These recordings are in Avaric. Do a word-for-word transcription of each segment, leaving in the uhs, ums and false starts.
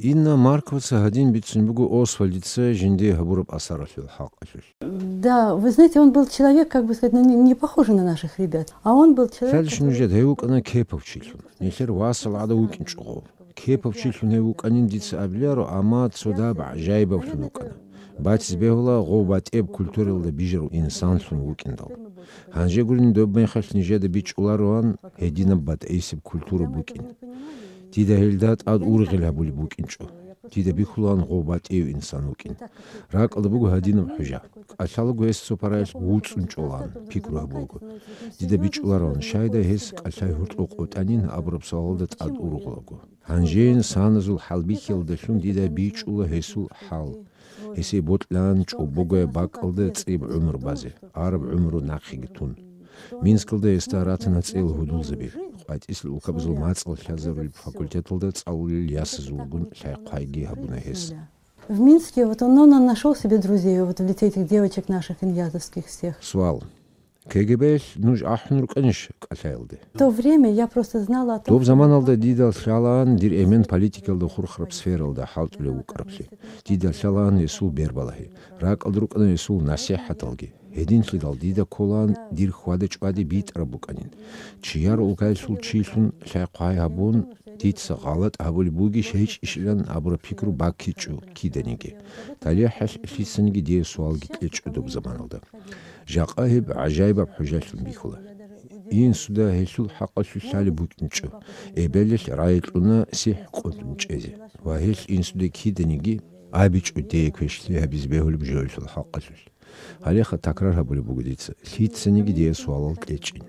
Инна Марковаца гьадин бицун буго Освальдица жиндие гьабураб асаралъул хӀакъалъулъ. Да, вы знаете, он был человек, как бы сказать, ну, не, не похожий на наших ребят, а он был человек, Лъалищ который нужеда гьев вукӀана кепав чилъун. Нилъер васал гӀадав вукӀинчӀого. Кепав чилъун гьев вукӀанин дица абиларо, амма цо даб гӀажаибавлъун вукӀана. Батиз бегьула гъов батӀияб культуралда бижарав инсанлъун вукӀиндал. Гьанже гурин доб мехалъ нижеда бичӀчӀулароан гьединаб батӀейсеб культура букӀин. Дида гьелда тӀад ургъел гьабулеб букӀинчӀо. Дида бихьулаан гъов батӀияв инсан вукӀин. РакӀалда буго гьадинаб хӀужа. КӀалъалаго гьес цо параялъ вуцӀцӀун чӀолаан, пикру гьабулаго. Дида бичӀчӀулароан, щайда гьес кӀалъай гьоркьов къотӀанин абураб суалалда тӀад ургъулаго. Гьанжеян саназул хӀалбихьиялдалъун дида бичӀчӀула гьесул хӀал. Гьесие бокьан чӀобогояб бакӀалда цӀиб гӀумру базе, араб гӀумру нахъеги тун. Минскалда гьесда ратана цӀел гьудулзаби, къватӀисел улкабазул мацӀал лъазарулеб факультеталда цӀалулел ясазулгун лъай-хъвайги гьабуна гьес. В Минске вот он, он нашёл себе друзей вот в лице этих девочек наших иньязовских всех. Суал. КГБ-лъ нуж ахӀун рукӀанищ кӀалъаялде? В то время я просто знала о том, Доб заманалда дида лъалаан дир эмен политикалда хурхараб сфералда хӀалтӀулев вукӀараблъи. Дида лъалаан гьесул бербалагьи. РакӀалда рукӀана гьесул насихӀаталги. Гьединлъидал дида кколаан дир хьвада-чӀвади битӀараб букӀанин. Чияр улкаялъул чилъун лъай-хъвай гьабун, дица гъалатӀ гьабулеб бугищ гьечӀищилан абураб пикру баккичӀо киданиги. ТалихӀалъ лъицаниги дие суалги кьечӀо доб заманалда. Жакъа гьеб гӀажаибаб хӀужалъун бихьула. Инсуда гьелъул хӀакъалъулъ лъалеб букӀинчӀо, эбелалъ рагӀи кьуна сихӀ къотӀун чӀезе, ва гьелъ инсуда киданиги абичӀо дие квешлъи гьабизе бегьулеб жоялъул хӀакъалъулъ. Гьалеха такрар гьабулеб буго дица, лъицаниги дие суалал кьечӀин.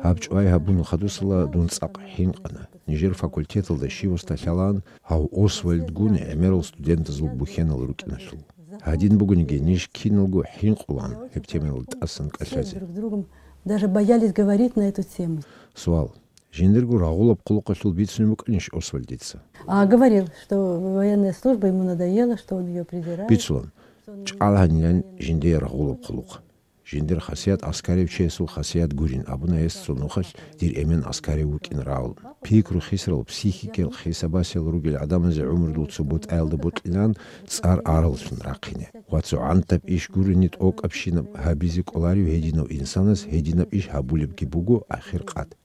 Гьаб чӀвай гьабун хадусала дун цӀакъ хӀинкъана. Нижер факультеталда щивасда лъалаан гьав Освальдгун гӀемерал студентазул бухьенал рукӀиналъул. Гьадин бугониги, ниж киналго хӀинкъулаан гьеб темаялда тӀасан кӀалъазе. Друг с другом даже боялись говорить на эту тему. Суал. Жиндирго рагъулаб хъулухъалъул бицунеб букӀанищ Освальдица? А, говорил, что военная служба ему надоела, что он её презирает. Бицулан. ЧӀалгьанилан жиндие рагъулаб хъулухъ. Жиндир хасият аскарев чиясул хасият гурин абуна гьес цо нухалъ дир эмен аскарев вукӀин рагӀун. Пикру хисарал, психикиял хисабасел ругел гӀадамазе гӀумрудул цо бутӀаялда бокьилан цӀар араллъун рахъине. Ва цо гӀантаб иш гурони тӀокӀабщинаб гьабизе кӀоларев гьединав инсанас гьединаб иш гьабулебги буго ахир къад.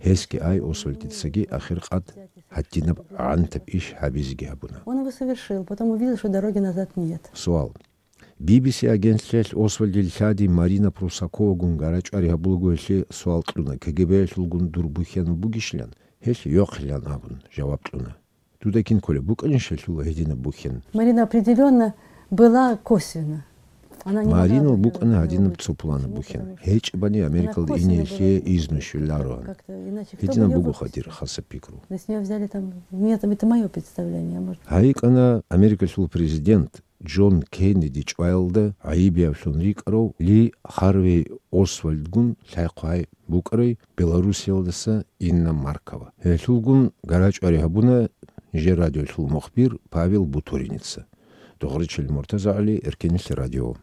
Гьесги ай Освальдицаги ахир къад гьадинаб гӀантаб иш гьабизеги гьабуна. Он его совершил, потом увидел, что дороги назад нет. Суал. Би-би-си агентлъиялъ Освальдил лъади Марина Прусаковагун гарачӀвари гьабулаго гьелъе суал кьуна, КГБ-ялъулгун дур бухьанал бугищилан, гьелъ йохъилан абун жаваб кьуна. Дуда кин кколеб букӀанищ гьелъул гьединаб бухьен? Марина определённо была косвенно. Она не могла Маринал быть, букӀана э, гьадинаб э, цо пуланаб бухьен. ГьечӀебани Америкалда ине гьелъе изну щвелароан. Гьединаб бугоха дир хасаб пикру. То есть её взяли там, нет, это моё представление, а может. ГьайикӀана Америкалъул президент Джон Кеннеди чӀваялда гӀайибиявлъун рикӀкӀарав Ли Харвей Освальдгун лъай-хъвай букӀарай Белоруссиялдаса Инна Маркова. Гьелъулгун гарачӀвари гьабуна нижер радиолъул мухбир Павел Бутуриница. Догъричилин МуртазагӀали, Эркенлъи радио.